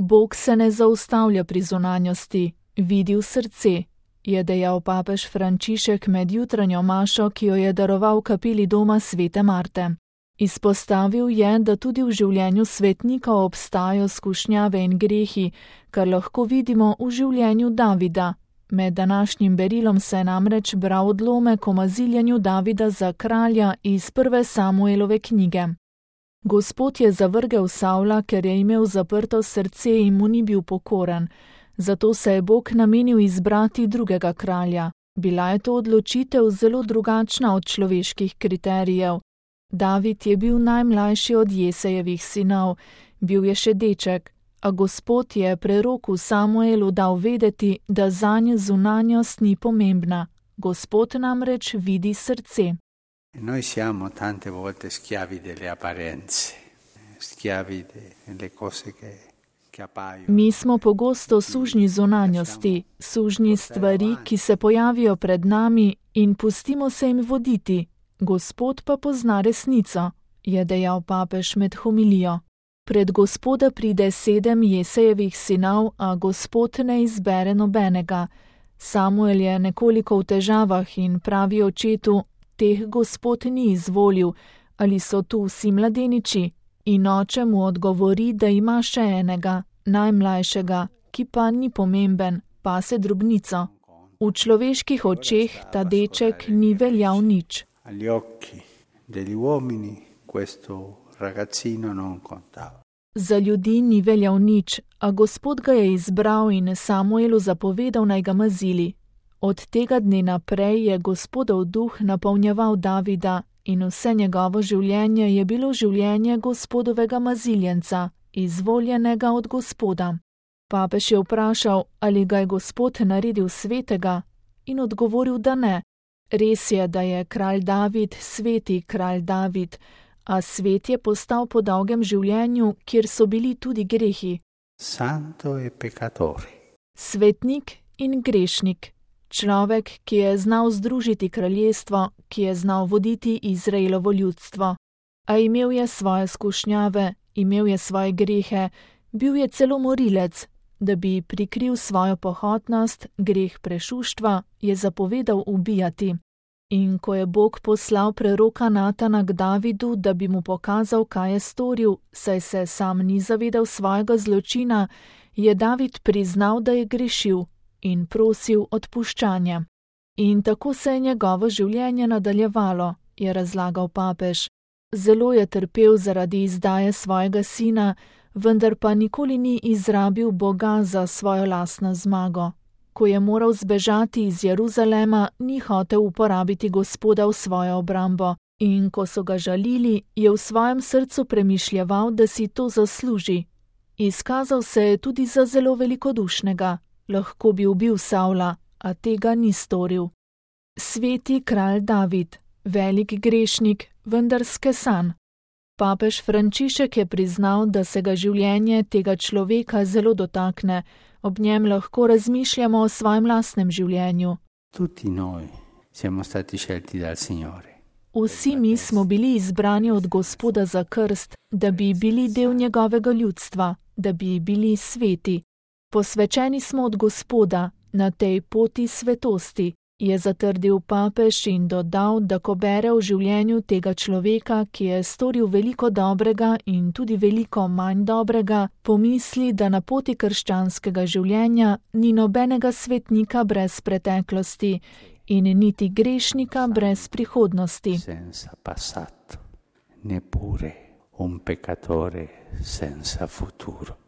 Bog se ne zaustavlja pri zunanjosti, vidi v srce, je dejal papež Frančišek med jutranjo mašo, ki jo je daroval v kapeli doma svete Marte. Izpostavil je, da tudi v življenju svetnika obstajajo skušnjave in grehi, kar lahko vidimo v življenju Davida. Med današnjim berilom se je namreč bral odlomek o maziljenju Davida za kralja iz 1. Samuelove knjige. Gospod je zavrgel Savla, ker je imel zaprto srce in mu ni bil pokoren, zato se je Bog namenil izbrati drugega kralja. Bila je to odločitev zelo drugačna od človeških kriterijev. David je bil najmlajši od Jesejevih sinov, bil je še deček, a Gospod je preroku Samuelu dal vedeti, da zanj zunanjost ni pomembna. Gospod namreč vidi srce. Noi siamo tante volte schiavi delle apparenze, schiavi delle cose che appaiono. Mi smo pogosto sužnji zunanjosti, sužnji stvari, ki se pojavijo pred nami in pustimo se jim voditi. Gospod pa pozna resnico, je dejal papež med homilijo. Pred Gospoda pride 7 Jesejevih sinov, a Gospod ne izbere nobenega. Samuel je nekoliko v težavah in pravi očetu, teh Gospod ni izvolil, ali so tu vsi mladeniči, in oče mu odgovori, da ima še enega, najmlajšega, ki pa ni pomemben, pase drobnico. V človeških očeh ta deček ni veljal nič. Agli occhi degli uomini questo ragazzino non contava. Za ljudi ni veljal nič, a Gospod ga je izbral in Samuelu zapovedal, naj ga mazili. Od tega dne naprej je Gospodov duh napolnjeval Davida in vse njegovo življenje je bilo življenje Gospodovega maziljenca, izvoljenega od Gospoda. Papež je vprašal, ali ga je Gospod naredil svetega, in odgovoril, da ne. Res je, da je kralj David sveti kralj David, a svet je postal po dolgem življenju, kjer so bili tudi grehi. Santo e peccatore. Svetnik in grešnik. Človek, ki je znal združiti kraljestvo, ki je znal voditi Izraelovo ljudstvo. A imel je svoje skušnjave, imel je svoje grehe, bil je celo morilec. Da bi prikril svojo pohotnost, greh prešuštva, je zapovedal ubijati. In ko je Bog poslal preroka Natana k Davidu, da bi mu pokazal, kaj je storil, saj se sam ni zavedal svojega zločina, je David priznal, da je grešil in prosil odpuščanje. In tako se je njegovo življenje nadaljevalo, je razlagal papež. Zelo je trpel zaradi izdaje svojega sina, vendar pa nikoli ni izrabil Boga za svojo lastno zmago. Ko je moral zbežati iz Jeruzalema, ni hotel uporabiti Gospoda v svojo obrambo, in ko so ga žalili, je v svojem srcu premišljeval, da si to zasluži. Izkazal se je tudi za zelo velikodušnega, lahko bi ubil Savla, a tega ni storil. Sveti kralj David, velik grešnik, vendar skesan. Papež Frančišek je priznal, da se ga življenje tega človeka zelo dotakne, ob njem lahko razmišljamo o svojem lastnem življenju. Tutti noi siamo stati scelti dal Signore. Vsi mi smo bili izbrani od Gospoda za krst, da bi bili del njegovega ljudstva, da bi bili sveti. Posvečeni smo od Gospoda na tej poti svetosti, je zatrdil papež in dodal, da ko bere v življenju tega človeka, ki je storil veliko dobrega in tudi veliko manj dobrega, pomisli, da na poti krščanskega življenja ni nobenega svetnika brez preteklosti in niti grešnika brez prihodnosti. Senza passato, neppure un peccatore senza futuro.